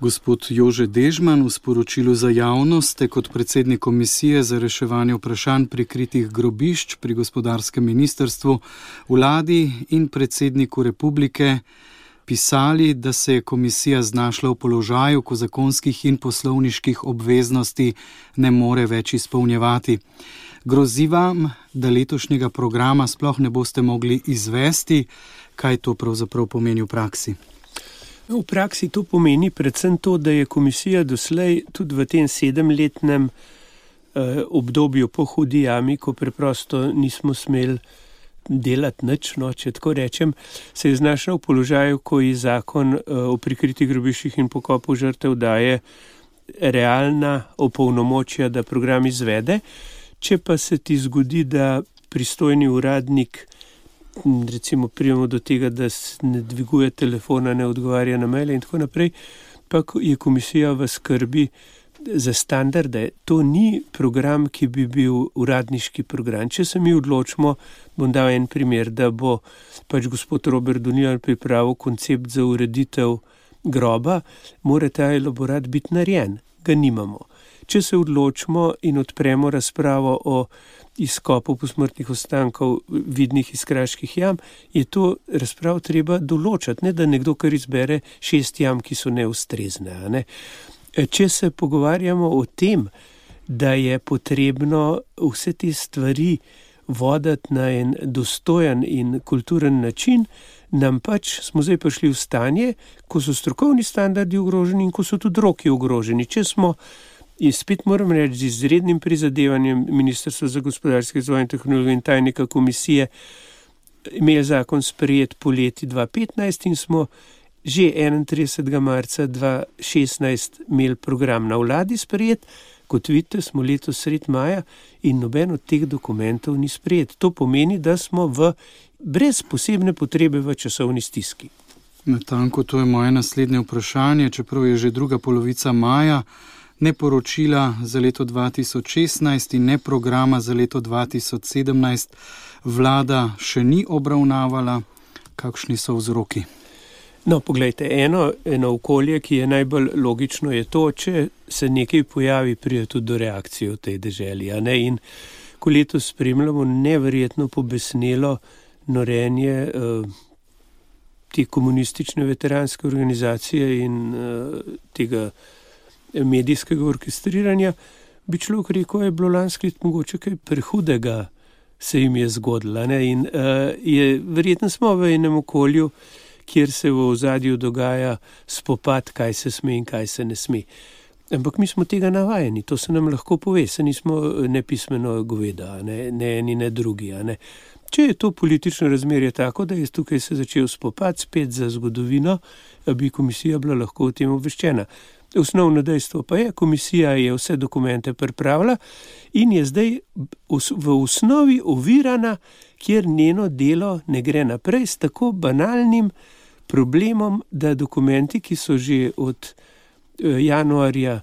Gospod Jože Dežman, v sporočilu za javnost ste kot predsednik Komisije za reševanje vprašanj prikritih grobišč pri gospodarskem ministrstvu, vladi in predsedniku republike pisali, da se je komisija znašla v položaju, ko zakonskih in poslovniških obveznosti ne more več izpolnjevati. Grozi vam, da letošnjega programa sploh ne boste mogli izvesti. Kaj to pravzaprav pomeni v praksi? V praksi to pomeni predvsem to, da je komisija doslej tudi v tem 7-letnem obdobju po hudi jami, ko preprosto nismo smeli delati nič, če tako rečem, se je znašla v položaju, ko ji zakon o prikritih grobiščih in pokopu žrtev daje realna opolnomočja, da program izvede. Če pa se ti zgodi, da pristojni uradnik, recimo prijemo do tega, da ne dviguje telefona, ne odgovarja na maile in tako naprej, pa je komisija v skrbi za standarde. To ni program, ki bi bil uradniški program. Če se mi odločimo, bom dal en primer, da bo pač gospod Robert Donijan pripravil koncept za ureditev groba, mora ta elaborat biti narejen. Ga nimamo. Če se odločimo in odpremo razpravo o izkopu posmrtnih ostankov vidnih iz kraških jam, je to razpravo treba določati, ne da nekdo kar izbere 6 jam, ki so neustrezne. Ne? Če se pogovarjamo o tem, da je potrebno vse te stvari voditi na en dostojen in kulturen način, nam pač smo zdaj prišli v stanje, ko so strokovni standardi ogroženi in ko so tudi roki ogroženi. Če smo, in spet moram reči, z izrednim prizadevanjem Ministrstva za gospodarski razvoj in tehnologijo in tajnika komisije imeli zakon sprejet poleti 2015 in smo že 31. marca 2016 imeli program na vladi sprejet. Kot vidite, smo letos sredi maja in noben od teh dokumentov ni sprejet. To pomeni, da smo brez posebne potrebe v časovni stiski. Natanko, to je moje naslednje vprašanje, čeprav je že druga polovica maja, ne poročila za leto 2016 in ne programa za leto 2017 vlada še ni obravnavala. Kakšni so vzroki? No, poglejte, eno okolje, ki je najbolj logično, je to, če se nekaj pojavi, pride tudi do reakcije v tej deželi. In ko letos spremljamo neverjetno pobesnelo norenje te komunistične veteranske organizacije in tega medijskega orkestriranja, bi človek rekel, je bilo lansko leto mogoče kaj prehudega se jim je zgodilo. In verjetno smo v enem okolju, kjer se v ozadju dogaja spopad, kaj se sme in kaj se ne sme. Ampak mi smo tega navajeni, to se nam lahko pove, se nismo nepismeno goveda, ne eni, ne drugi. Če je to politično razmerje tako, da je tukaj se začel spopad spet za zgodovino, bi komisija bila lahko o tem obveščena. Osnovno dejstvo pa je, komisija je vse dokumente pripravila in je zdaj v osnovi ovirana, kjer njeno delo ne gre naprej s tako banalnim problemom, da dokumenti, ki so že od januarja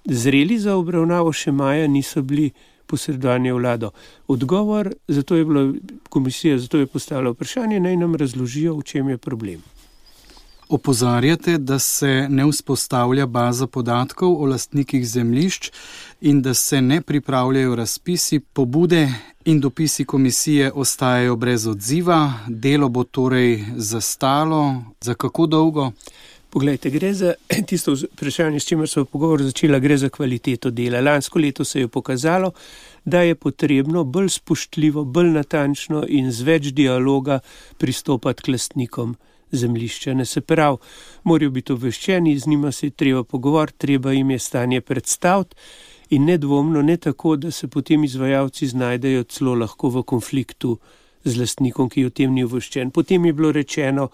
zreli za obravnavo, še maja niso bili posredovani vlado. Odgovor, zato je bila komisija, zato je postavila vprašanje, naj nam razložijo, v čem je problem. Opozarjate, da se ne vzpostavlja baza podatkov o lastnikih zemljišč in da se ne pripravljajo razpisi, pobude in dopisi komisije ostajajo brez odziva. Delo bo torej zastalo. Za kako dolgo? Poglejte, gre za tisto vprašanje, s čimer smo pogovor začela, gre za kvaliteto dela. Lansko leto se je pokazalo, da je potrebno bolj spoštljivo, bolj natančno in z več dialoga pristopati k lastnikom zemljišča. Ne, se pravi, morajo biti obveščeni, z njima se je treba pogovoriti, treba jim je stanje predstaviti in nedvomno ne tako, da se potem izvajalci znajdejo celo lahko v konfliktu z lastnikom, ki o tem ni obveščen. Potem je bilo rečeno,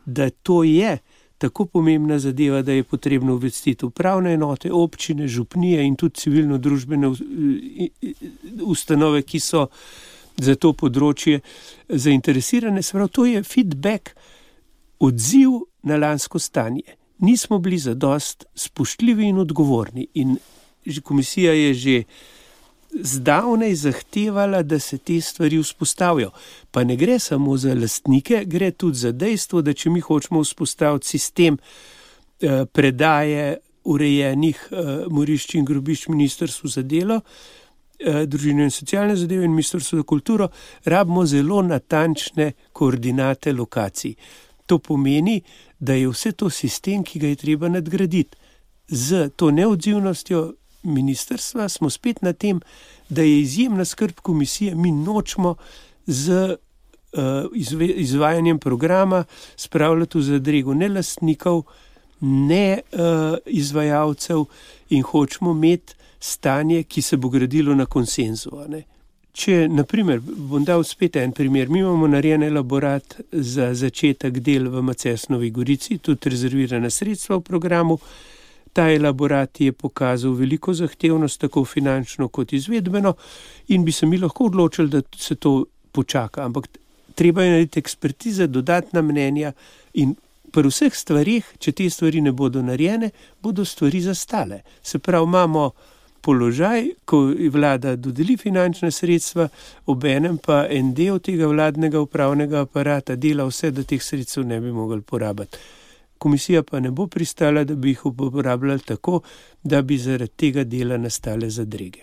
da to je tako pomembna zadeva, da je potrebno obvestiti upravne enote, občine, župnije in tudi civilno-družbene ustanove, ki so za to področje zainteresirane. Se pravi, to je feedback, odziv na lansko stanje. Nismo bili zadost spoštljivi in odgovorni in komisija je že zdavnaj zahtevala, da se te stvari vzpostavijo. Pa ne gre samo za lastnike, gre tudi za dejstvo, da če mi hočemo vzpostaviti sistem predaje urejenih morišč in grobišč Ministrstvu za delo, družino in socialne zadeve in Ministrstvu za kulturo, rabimo zelo natančne koordinate lokacij. To pomeni, da je vse to sistem, ki ga je treba nadgraditi. Z to neodzivnostjo ministrstva smo spet na tem, da je izjemna skrb komisije, mi nočemo z izvajanjem programa spravljati v zadrego ne lastnikov, ne izvajalcev in hočemo imeti stanje, ki se bo gradilo na konsenzu. Če, naprimer, bom dal spet en primer, mi imamo narejen elaborat za začetek del v Macesnovi Gorici, tudi rezervirana sredstva v programu. Ta elaborat je pokazal veliko zahtevnost, tako finančno kot izvedbeno, in bi se mi lahko odločili, da se to počaka. Ampak treba je narediti ekspertize, dodatna mnenja in pri vseh stvarih, če te stvari ne bodo narejene, bodo stvari zastale. Se pravi, imamo položaj, ko vlada dodeli finančna sredstva, obenem pa en del tega vladnega upravnega aparata dela vse, da teh sredstev ne bi mogli porabiti. Komisija pa ne bo pristala, da bi jih uporabljali tako, da bi zaradi tega dela nastale zadrege.